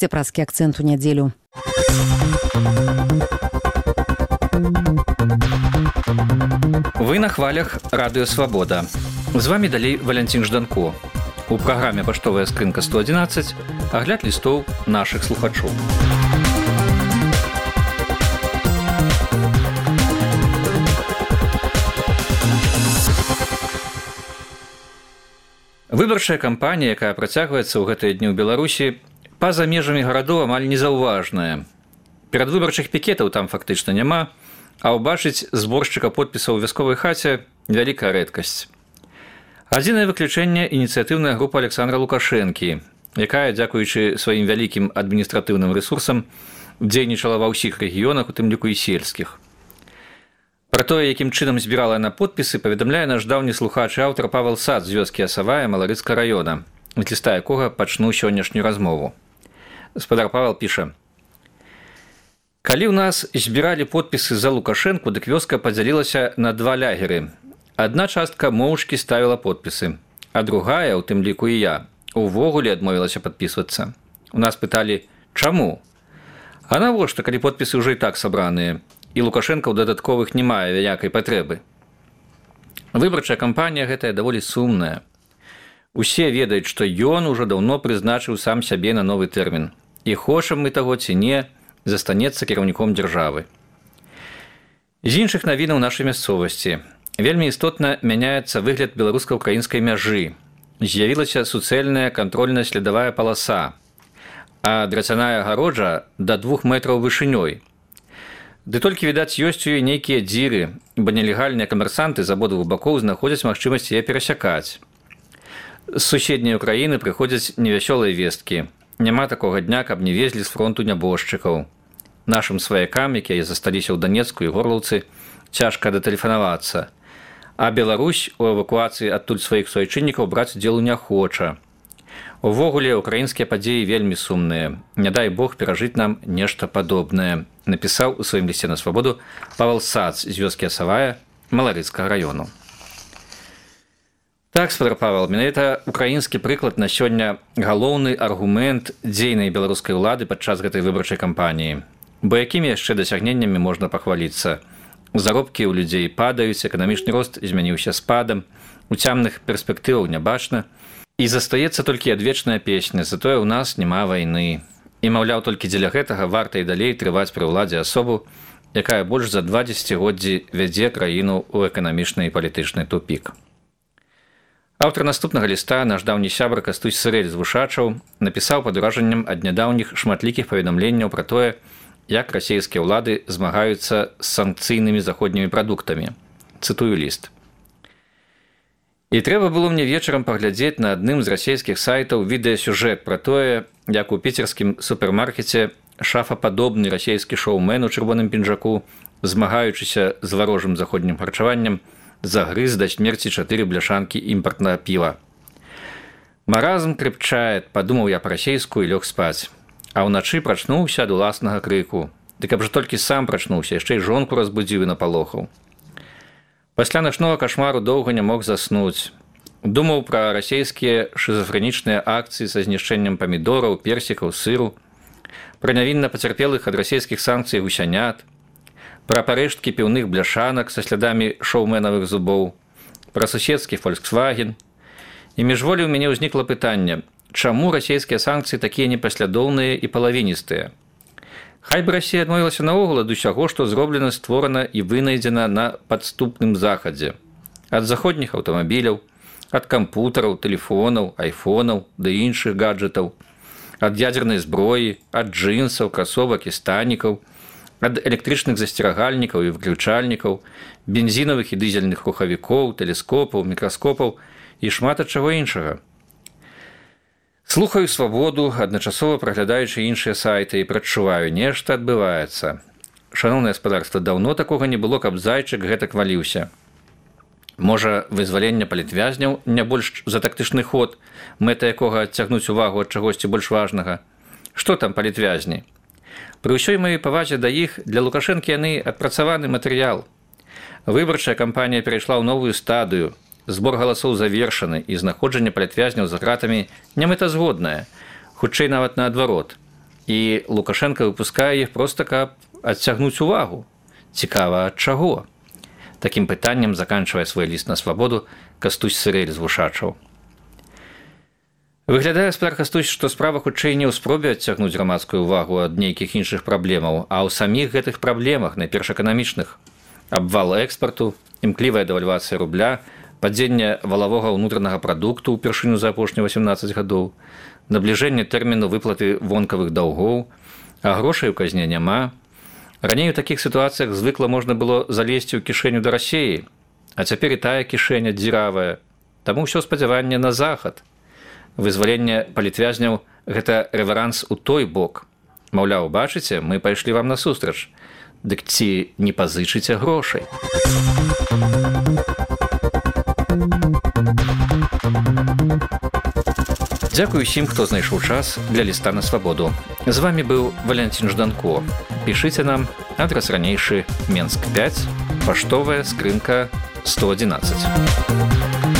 Цепраскі акцэнт у нядзелю. Вы на хвалях Радыё Свабода. З вами далей Валянцін Жданко. У праграме «Паштовая скрынка 111» агляд лістоў нашых слухачоў. Выбарчая кампанія, якая працягваецца ў гэтыя дні ў Беларусі, па-за межамі гарадоў амаль незаўважная. Перадвыбарчых пікетаў там фактычна няма, а ўбачыць зборшчыка подпісаў у вясковай хаце вялікая рэдкасць. Адзінае выключэнне – ініцыятыўная група Александра Лукашэнкі, якая, дзякуючы сваім вялікім адміністратыўным рэсурсам, дзейнічала ва ўсіх рэгіёнах, у тым ліку і сельскіх. Пра тое, якім чынам збірала яна подпісы, паведамляе наш даўні слухач і аўтар Павел Сац з вёскі Асавая Маларыцкага раёна, з ліста якога пачну сённяшнюю размову. Спадар Павел піша: «Калі ў нас збіралі подпісы за Лукашэнку, дык вёска падзялілася на два лягеры. Адна частка моўчкі ставіла подпісы, а другая, у тым ліку і я, увогуле адмовілася падпісвацца. У нас пыталі, чаму? А навошта, калі подпісы ўжо і так сабраныя, і Лукашэнка ў дадатковых не мае вялікай патрэбы? Выбарчая кампанія гэтая даволі сумная. Усе ведаюць, што ён ужо даўно прызначыў сам сябе на новы тэрмін. І хочам мы таго ці не, застанецца кіраўніком дзяржавы. З іншых навінаў нашай мясцовасці. Вельмі істотна мяняецца выгляд беларуска-ўкраінскай мяжы. З'явілася суцэльная кантрольна-следавая паласа, а драцяная агароджа да 2 метраў вышынёй. Ды толькі, відаць, ёсць у ёй нейкія дзіры, бо нелегальныя камерсанты з абодвух бакоў знаходзяць магчымасць яе перасякаць. З суседняй Украіны прыходзяць невясёлыя весткі. Няма такога дня, каб не везлі з фронту нябожчыкаў. Нашым сваякам, якія засталіся ў Данецку і Горлаўцы, цяжка датэлефанавацца. А Беларусь у эвакуацыі адтуль сваіх суайчыннікаў браць удзелу не хоча. Увогуле, украінскія падзеі вельмі сумныя. Не дай Бог перажыць нам нешта падобнае, напісаў у сваім лісце на Свабоду Павел Сац з вёскі Асавая Маларыцкага раёну. Так, спадар Павел, менавіта украінскі прыклад на сёння галоўны аргумент дзейнай беларускай улады падчас гэтай выбарчай кампаніі. Бо якімі яшчэ дасягненнямі можна пахваліцца? Заробкі ў людзей падаюць, эканамічны рост змяніўся спадам, у цямных перспектываў не бачна, і застаецца толькі адвечная песня, затое ў нас няма вайны. І, маўляў, толькі дзеля гэтага варта і далей трываць пры ўладзе асобу, якая больш за 2 дзесяцігоддзі вядзе краіну ў эканамічны і палітычны тупік. Аўтар наступнага ліста, наш даўні сябар Кастусь Сырэль з Вушачаў, напісаў пад уражаннем ад нядаўніх шматлікіх паведамленняў пра тое, як расійскія ўлады змагаюцца з санкцыйнымі заходнімі прадуктамі. Цытую ліст. «І трэба было мне вечарам паглядзець на адным з расійскіх сайтаў відэасюжэт пра тое, як у піцерскім супермаркеце шафападобны расійскі шоумен у чырвоным пінжаку, змагаючыся з варожым заходнім харчаваннем, загрыз да смерці 4 бляшанкі імпартнага піва. Маразм крепчает, падумаў я па-расейску і лёг спаць. А ўначы прачнуўся ад уласнага крыку. Ды каб жа толькі сам прачнуўся, яшчэ і жонку разбудзіў і напалохаў. Пасля начнога кашмару доўга не мог заснуць. Думаў пра расейскія шызафрэнічныя акцыі са знішчэннем памідораў, персікаў, сыру, пра нявінна пацярпелых ад расійскіх санкцый гусянят, пра парэшткі піўных бляшанак са слядамі шоуменавых зубоў, пра суседскі Volkswagen. І міжволі ў мяне ўзнікла пытанне, чаму расійскія санкцыі такія непаслядоўныя і палавіністыя? Хай бы Расія адмовілася наогул ад усяго, што зроблена, створана і вынайдзена на падступным захадзе. Ад заходніх аўтамабіляў, ад кампутараў, тэлефонаў, айфонаў ды іншых гаджетаў, ад ядзернай зброі, ад джынсаў, красовак і станікаў, ад электрычных засцерагальнікаў і выключальнікаў, бензінавых і дызельных рухавікоў, тэлескопаў, мікраскопаў і шмат ад чаго іншага. Слухаю Свабоду, адначасова праглядаючы іншыя сайты і прадчуваю, нешта адбываецца. Шаноўнае гаспадарства, даўно такога не было, каб зайчык гэтак валіўся. Можа, вызваленне палітвязняў не больш за тактычны ход, мэта якога адцягнуць увагу ад чагосьці больш важнага. Што там палітвязні? Пры ўсёй маёй павазе да іх, для Лукашэнкі яны адпрацаваны матэрыял. Выбарчая кампанія перайшла ў новую стадыю. Збор галасоў завершаны, і знаходжанне палітвязняў за гратамі не мэтазгоднае, хутчэй нават наадварот. і Лукашенко выпускае іх проста, каб адцягнуць увагу. Цікава, ад чаго? Такім пытаннем заканчвае свой ліст на свабоду Кастусь Сырэль з Вушачаў. Выглядае, спадар Кастусь, што справа хутчэй не ў спробе адцягнуць грамадскую ўвагу ад нейкіх іншых праблемаў, а ў саміх гэтых праблемах, найперш эканамічных. Абвал экспарту, імклівая дэвальвацыя рубля, падзенне валавога ўнутранага прадукту ўпершыню за апошнія 18 гадоў, набліжэнне тэрміну выплаты вонкавых даўгоў, а грошай у казне няма. Раней у такіх сітуацыях звыкла можна было залезці ў кішэню да Расіі, а цяпер і тая кішэня дзіравая. Таму ўсё спадзяванне на захад. Вызваленне палітвязняў – гэта рэверанс у той бок. Маўляў, бачыце, мы пайшлі вам насустрач. Дык ці не пазычыце грошай? Дзякую усім, хто знайшоў час для ліста на свабоду. З вами быў Валянцін Жданко. Пішыце нам, адрас ранейшы Менск 5, паштовая скрынка 111.